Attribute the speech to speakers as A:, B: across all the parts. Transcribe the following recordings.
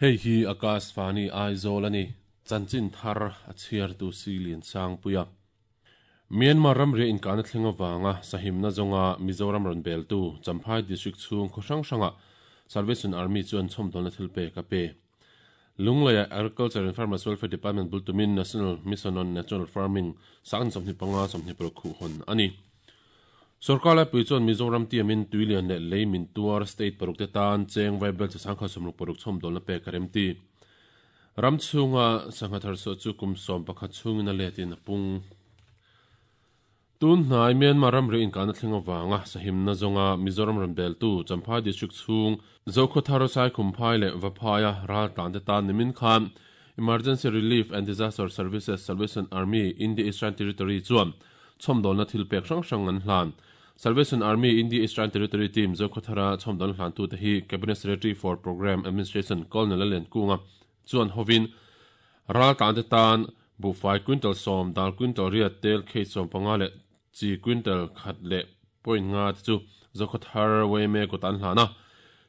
A: Hei hi Akashvani Aizawl a ni. Chanchin thar a chhiartu Silian Sangpuia. Myanmar ramria inkahna thleng avanga sahimna zawnga Mizoram rawn beltu Champhai District chhung khaw hrang hrangah Salvation Army chuan chhawmdawlna thil pek a pe. Lungleiah Agriculture and Farmers Welfare Department bul tumin National Mission on Natural Farming sangni 25 26 khuh hawn a ni. Sorkar laipui chuan Mizoram tiamin tuilian leh lei min tuar state paruk te tan cheng vaibel chi sangkhat 66 chhawmdawlna pek a remti. Ram chhunga sangha thar chhuah chu kum 11 chhungin a letin a pung. Tun hnai Myanmar ramri inkahna thleng avanga sahimna zawnga Mizoram rawn beltu Champhai District chhung Zokhawthar Saikhumphai leh Vaphaia ral tlante tan nimin khan Emergency Relief and Disaster Services Salvation Army India Eastern Territory chuan chhawmdawlna thil pek hrang hrang an hlan. Salvation Army India Eastern Territory team Zokhawthara chhawmdawlna hlantute hi Cabinet Secretary for Programme Administration Colonel Lalliankunga chuan hovin ral tlante tan buhfai quintal 10, dal quintal riat, tel case 15 leh chi quintal khat leh point nga te chu Zokhawthar YMA kawt an hlan a.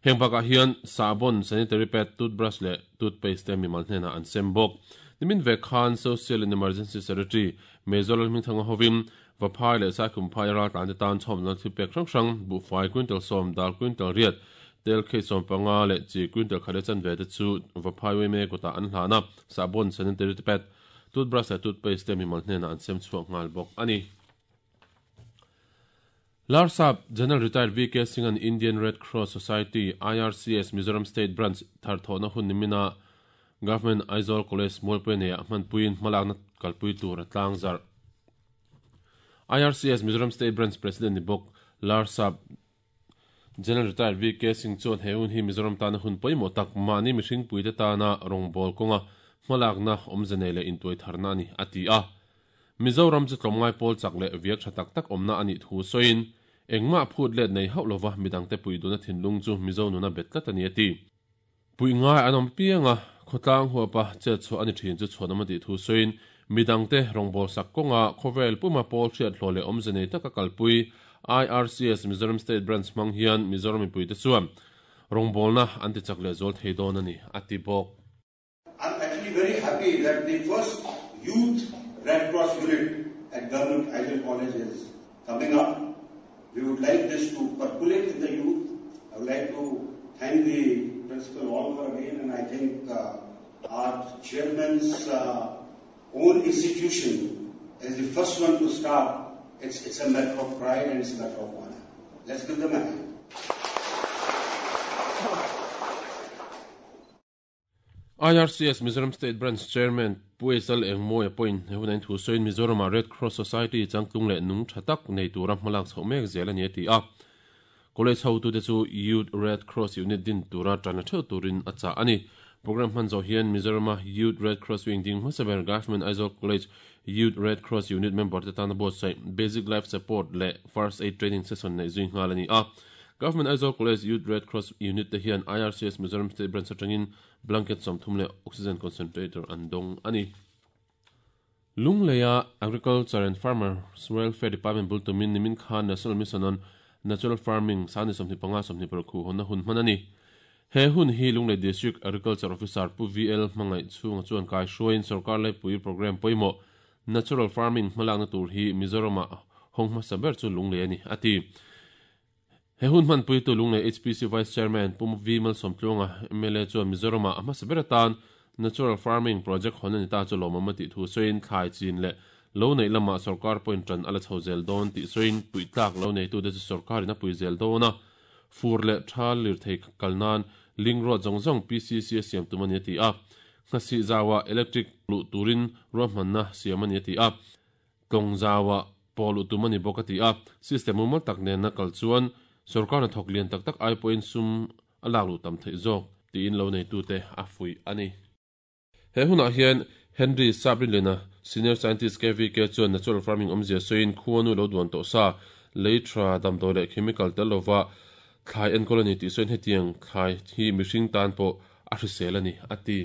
A: Heng bakah hian sabon, sanitary pad, toothbrush leh toothpaste te mimal hnenah an sem bawk. Nimin vek khan Social and Emergency Secretary Major Lalhmingthanga hovin Vaphai leh Saikhumphai ral tlante tan chhawmna thil pek hrang hrang, buhfai quintal 10, dal quintal riat, tel case 15 leh chi quintal khat leh chanve te chu Vaphai YMA kawtah an hlan a. Sabon, sanitary pad, toothbrush leh toothpaste te mimal hnenah an sem chhuak nghal bawk a ni. Larsap General Retired VK Singh an Indian Red Cross Society, IRCS, Mizoram State Branch thar thawhna hun nimina Government Aizawl College Mualpui neiah hmanpuiin hmalakna kalpui tur a tlang zarh. IRCS Mizoram State Branch President ni bawk Larsap General Retired VK Singh chuan he hun hi Mizoram tana hun pawimawh tak mahni mihring puite tana rawngbâwl kawnga hmalakna awmze nei leh intuai tharna a ni, a ti a. Mizoram chu tlawmngai pawl chak leh viak tha tak tak awmna a nih thu sawiin, engmah phut let nei hauh lova midangte pui duna thinlung chu Mizo nuna bet tlat a ni, a ti. Puih ngai an awm piang a, khawtlang huapa chet chhuah a ni thin chu chhuanawm a tih thu sawiin, midangte rawngbâwl sak kawnga khawvel puma pawl hriat hlawh leh awmze nei taka kalpui IRCS Mizoram State Branch hmang hian Mizoram mipuite chuan rawngbawlna an ti chak leh zual thei dawn a ni, a ti bawk.
B: I'm actually very happy that the first youth Red Cross unit at Government Aizawl College is coming up. We would like this to percolate in the youth. I would like to thank the principal all over again, and I think our chairman's own institution is the first one to start. It's a matter of pride and it's a matter of honor. Let's give them a hand.
A: IRCS Mizoram State Branch Chairman Pu Aizal Engmawia pawhin he huna inthu sawiin Mizoramah Red Cross Society changtlung leh nung tha tak nei tura hmalak chhoh mek zel a ni a ti a. College hotute chu Youth Red Cross Unit din tura tan la theuh turin a chah a ni. Programme hman zawh hian Mizorama Youth Red Cross Wing ding hmasa ber Government Aizawl College Youth Red Cross Unit member te tana buatsaih Basic Life Support leh First Aid Training session neih zui nghal a ni a. Government Aizawl College Youth Red Cross Unit te hian IRCS Mizoram State Branch atangin blanket 30 leh oxygen concentrator an dawng a ni. Lungleia Agriculture and Farmers Welfare Department bul tumin nimin khan National Mission on Natural Farming sangni 25 26 khuh hawnna hun hman a ni. He hun hi Lunglei District Agriculture Officer Pu VL hmangaih chhunga chuan kai hruaiin sorkar laipui programme pawimawh Natural Farming hmalakna tur hi Mizoramah hawng hmasa ber chu Lunglei a ni, a ti. He hun hmanpuitu Lunglei HPC Vice Chairman Pu V Malsawmtluanga mla chuan Mizoramah a hmasa ber atan Natural Farming Project hawn a ni ta chu lawmawm a tih thu sawiin thlai chin leh lo neih lamah sorkar pawhin tan a la chho zel dawn tih sawiin puihtlak lo neitute chu sorkarin a pui zel dawn a, fur leh tha lirthei kal nan link road zawng zawng PCC a siam tum a ni a ti a. Nghasih zauah electric luh turin ruahmanna siam a ni a ti a. Tlawng zauah pawh luh tum a ni bawk a ti a. System mumal tak nena kal chuan sorkar hnathawk lian tak tak ai pawhin sum a lak luh tam theih zawk tiin lo neitute a fuih a ni. He hunah hian Henry Sabrinlena, Senior Scientist KVK chuan Natural Farming awmzia sawiin khuanu lo duan tawh sa, lei tha, damdawi leh chemical tel lova thlai enkawl a ni tih sawiin hetiang thlai hi mihring tan pawh a hrisel a ni, a ti.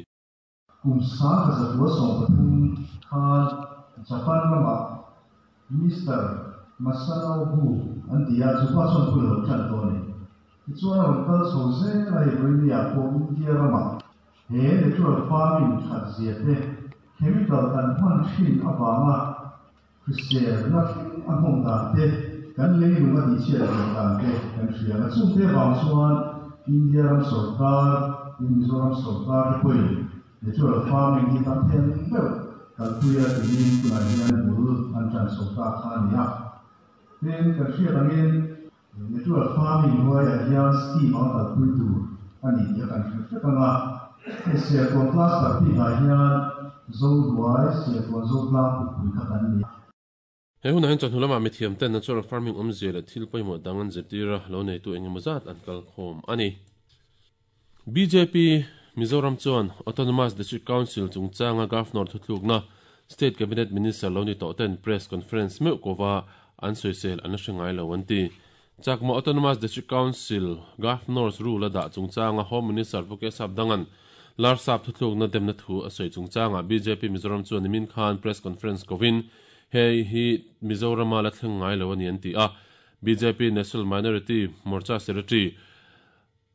C: Kum 1913 khan Japan ramah Mister Masanobu an ti a, chu pa chuan phul a lo tan tawh a ni. Tichuan a rawn kal chho zel a, hei Vawinia pawh India ramah. He natural farming that zia te, chemical kan hman thin avanga hriselna thleng a nghawng dan te, kan leilung a tihchhiat leh dan te kan hria a. Chungte avang chuan India ram sorkar, tin Mizoram sorkar te pawhin natural farming hi tam thei ang deuh kalpuia tiin tunah hian bul an tan chho ta kha a ni a. Tin, kan hriat angin Natural farming hnuaiah hian scheme ang kalpui tur a ni tih a kan hre vek ang a. Hei Serkawn cluster bikah hian Zohnuai, Serkawn Zotlang pukpui kha kan ni a.
A: He hunah hian chawhnu lamah mithiamten natural farming awmzia leh thil pawimawh dang an zirtir a, lo neitu eng emaw zat an kal khawm a ni. Bjp Mizoram chuan Autonomous District Council chungchanga Governor thuthlukna State Cabinet Minister lo ni tawh ten Press Conference meuh kova an sawisel an la hre ngai lo an ti. Chakma Autonomous District Council Governor's Rule a dah chungchanga Home Minister Pu Kesap Dangan Larsap thuthlukna demna thu a sawi chungchangah bjp Mizoram chuan nimin khan Press Conference kovin hei hi Mizorama la thleng ngai lo a ni an ti a. Bjp National Minority Morcha Secretary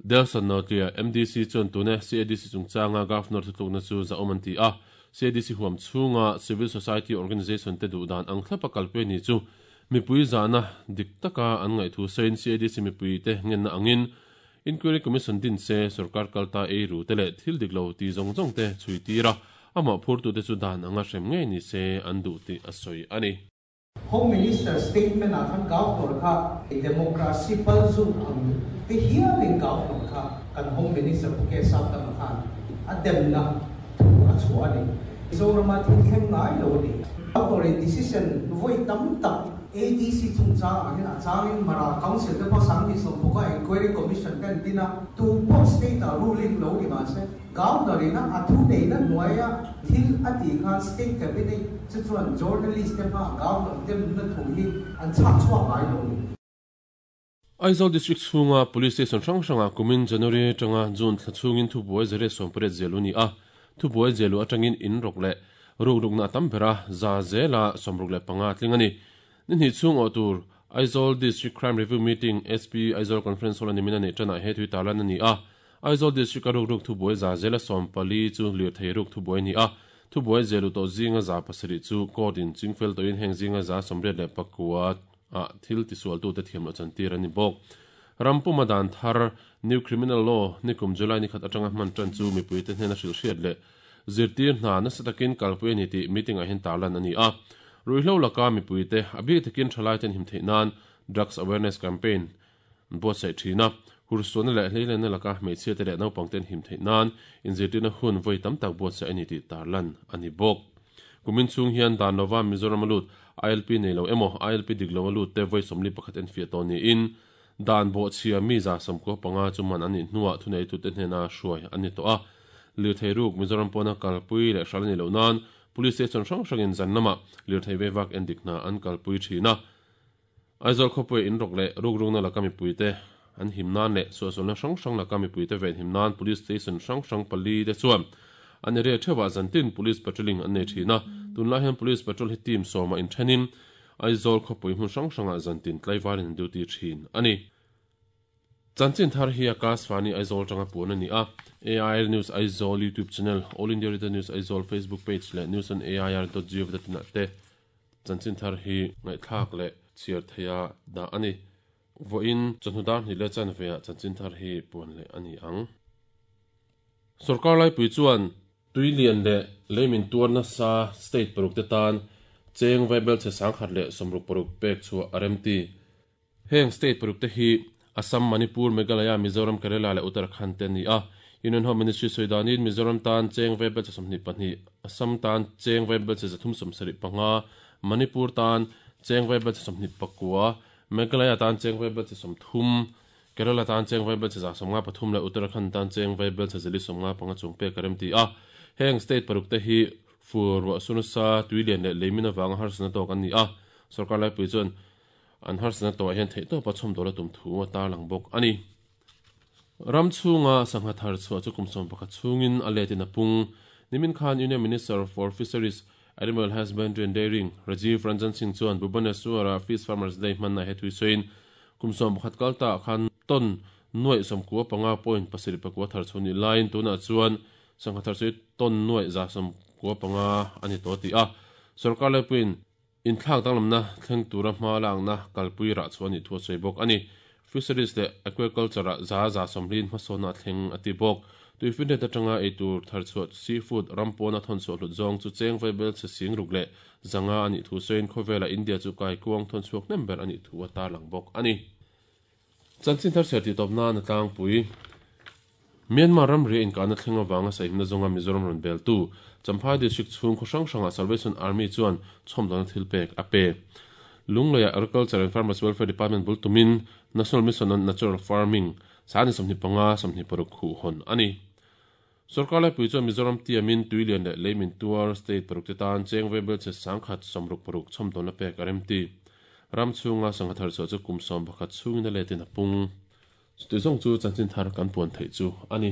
A: Delson Nautia, MDC chuan tune CADC chungchanga Governor thutlukna chu zahawm an ti a, CADC huam chhunga Civil Society Organisation te duh dan ang thlapa kalpui ni chu mipui zahna dik taka an ngaihthu sawiin CADC mipuite ngenna angin Inquiry Commission din se sorkar kalta ei ru te leh thil dik lo ti zawng zawng te chhui tir a, amah phurtute chu dan anga hrem ngei ni se an duh tih a sawi a ni.
D: Home Minister statement ah khan Governor kha democracy palzut ang te hialin Governor kha kan Home Minister Pu K Sapdanga khan a demna thu a chhuah a ni. Mizorama thil thleng ngai lo a ni. Governor in decision vawi tam tak ADC chungchang ah hian a changin Mara Council te pawh 2019 a Inquiry Commission te an din a, tu pawh state ah ruling lo ni mahse, Governor ina a thuneihna hnuaia thil a tih khan State Cabinet chu chuan journalist te hmaah Governor demna thu hi an chhak chhuak ngai lo ni.
A: Aizawl District chhunga Police Station hrang hrangah kumin January atanga June thla chhungin thubuai zariat sawmpariat zialu a ni a, thubuai zialu atangin in rawk leh rukrukna a tam ber a, za zela 65 a tling a ni. Ni hnih chhung awh tur Aizawl District Crime Review Meeting SP Aizawl Conference Hall a nimin a neih tanah he tui tarlan a ni a. Aizawl District a rukruk thubuai za zela 14 chu lirthei ruk thubuai a ni a. Thubuai zelu tawh zinga 700 chu court in chingfel tawhin heng zinga 99 ah thil tisualtute thiam loh chantir a ni bawk. Ram puma dan thar New Criminal Law nikum July ni khat atanga hman tan chu mipuite hnena hrilhhriat leh Zirtir hna nasa takin kalpui a ni tih meeting ah hian tarlan a ni a. Ruihhlo laka mipuite, a bik takin thalaiten him theih nan Drugs Awareness Campaign an buatsaih thin a. Hursuahna leh hleilenna laka hmeichhiate leh naupangten him theih nan inzirtirna hun vawi tam tak buatsaih a ni tih tarlan a ni bawk. Kumin chhung hian dan lova Mizoram a lut ILP nei lo emaw ILP dik lo a lut te vawi 41 enfiah tawh niin Dan bawhchhia mi 95 chu man an nih hnuah thuneitute hnena hruai an ni tawh a. Lirthei ruk Mizoram pawna kalpui leh hral a nih loh nan Police station hrang hrangin zan lamah lirthei veivak endik hna an kalpui thin a. Aizawl khawpuia inrawk leh rukrukna laka mipuite an him nan leh suahsualna hrang hrang laka mipuite venhim nan Police station hrang hrang pali te chuan an area theuhah zantin Police patrolling an nei thin a. Tunlai hian Police patrol hi team sawmah inthenin Aizawl khawpui hmun hrang hrangah zantin tlaivarin an duty thin a ni. Chanchin thar hi Akashvani Aizawl atanga puan a ni a, AIR News Aizawl YouTube channel, All India Radio News Aizawl Facebook page leh news on air dot gov dot in ah te chanchin thar hi ngaihthlak leh chhiar theiha dah a ni. Vawiin chawhnu dar hnih leh chanve ah chanchin thar hi puan leh a ni ang. Sorkar laipui chuan Tui lian leh leimin tuar nasa state paruk te tan cheng vaibelchhe 166 pek chhuah a remti. Heng state paruk te hi Assam, Manipur, Meghalaya, Mizoram, Kerala leh Uttarakhand te an ni a. Union Home Ministry sawi danin Mizoram tan cheng vaibelchhe 22, Assam tan cheng vaibelchhe 375, Manipur tan cheng vaibelchhe 29, Meghalaya tan cheng vaibelchhe 30, Kerala tan cheng vaibelchhe 153 leh Uttarakhand tan cheng vaibelchhe 155 chung pek a remti a. Heng state paruk te hi fur, ruah sunasa, tui lian leh leimin avanga harsatna tawk an ni a. Sorkar laipui chuan an harsatna tawhah hian theihtawpa chhawmdawl a tum thu a tarlang bawk a ni. Ram chhunga sangha thar chhuah chu kum 11 chhungin a letin a pung. Nimin khan Union Minister for Fisheries, Animal Husbandry and Dairying, Rajiv Ranjan Singh chuan Bhubaneswar-a Fish Farmers Day hmanna he thui sawiin Kum 11 kal ta khan ton nuaih 95 point 7 pakua thar chhuah nih laiin tunah chuan Sangha thar chu ton nuai 195 a ni tawh a ti a. Sorkar laipuiin inthlak danglamna thleng tura hma lakna kalpui rah chhuah a nih thu a sawi bawk a ni. Fisheries leh Aquaculture ah 120% hmasawnna a thleng a ti bawk. Tuifinriat atanga eitur thar chhuah seafood ram pawna thawn chhuah hlut zawng chu cheng vaibel chhe 6,500 a nih thu sawiin khawvelah India chu kaikuang thawn chhuak hnem ber a nih thu a tarlang bawk a ni. Chanchin thar chhiar tih tawp nan a tlangpui. Myanmar ramri a inkahna thleng avanga sahimna zawnga Mizoram rawn beltu Champhai District chhung khaw hrang hrangah Salvation Army chuan chhawmdawlna thil pek a pe. Lungleiah Agriculture and Farmers Welfare Department bul tumin National Mission on Natural Farming Sani 25, 26 khuh hawn a ni. Sorkar laipui chuan Mizoram tiamin tuilian leh leimin tuar state paruk te tan cheng vaibel chhe 166 chhawmdawlna pek a remti. Ram chhunga sangha thar chhuah chu kum 11 chhungin a letin a pung. Chutih zawng chu chanchin thar kan puan theih chu a ni.